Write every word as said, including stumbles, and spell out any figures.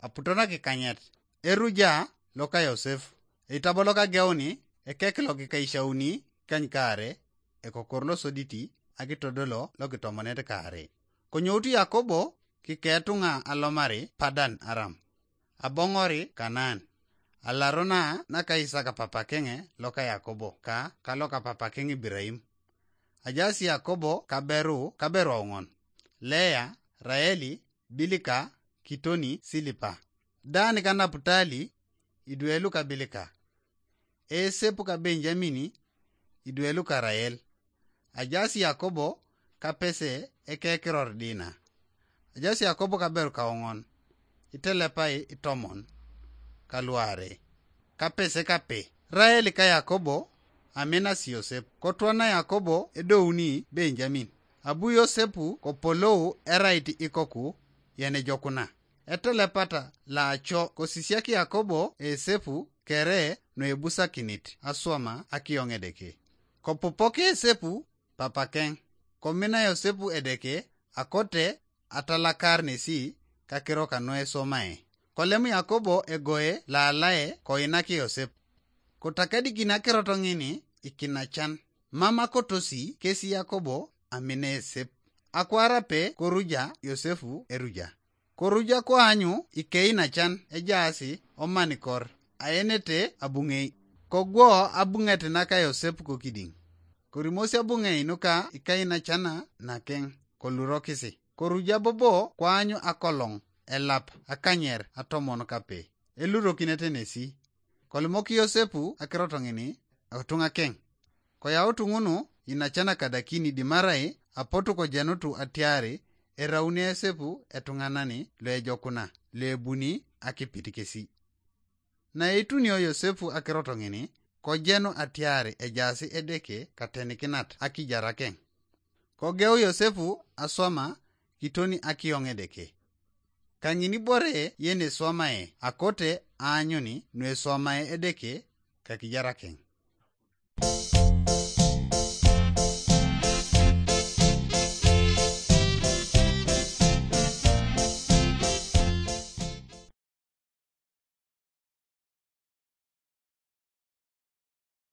Aputo nakikanyet, eruja loka Yosef, eitabo lokageuni, ekek lokikaishauni kany kaare, ekokor losoditi, akitodolo lokitomonet kaare. Konyoutu Yakobo kiketunga alomari Padan Aram, abongori Kanaan, alarona naka Isaka papakenge loka Yakobo ka kaloka papakeng Ibiraim. Ajaas Yakobo kaberu kaberu aong'on: Lea, Raeli, Bilika, Kitoni, Silipa. Dan ka Naputali, idwe luka Bilika. Esep ka Benjamini, idwe luka Rael. Ajaas Yakobo kapese ekekiror Dina. Ajaas Yakobo kaberu kaong'on, itelepai itomon kaluare, kapese kape. Rael ka Yakobo aminas Yosep. Kotwana Yakobo edouni Benjamin. Abu Yosepu kopolou erait ikoku yenejokuna. Etelepata laaco kosisiak Yakobo Esepu kere nuebusakinit aswama akiyong Edeke. Kopupok Esepu papakeng, komina Yosepu Edeke akote atalakar nesi kakiro kanu esomae. Kolem Yakobo egoe laalae koinak Yosep. Kotakedikin akirot ngini ikinachan, mam akotosi kesi Yakobo amina Esep. Akwar ape koruja Yosefu eruja. Koruja koanyu ikeinachan ejaasi omanikor, aenete abung'ei. Kogwo abung'et naka Yosep kokiding. Korimosi abung'ei nuka ikainachana nakeng kolurokisi. Koruja bobo koanyu akolong, elap, akanyer atomon kape, elurokinete nesi. Kolimok Yosepu akirot ngini otunga keng. Koyautu ngunu inacana kadakini dimarai apotu kojenutu atiari erauni Esepu etunganani loejokuna, loebuni akipit kesi. Na eitunio Yosepu akirot ngini, kojenu atiari ejaasi Edeke katenikinat akijar akeng. Kogeu Yosepu aswama kitoni akiyong Edeke. Kangini bore yeneswamae akote aanyuni nueswamae Edeke kakijar akeng.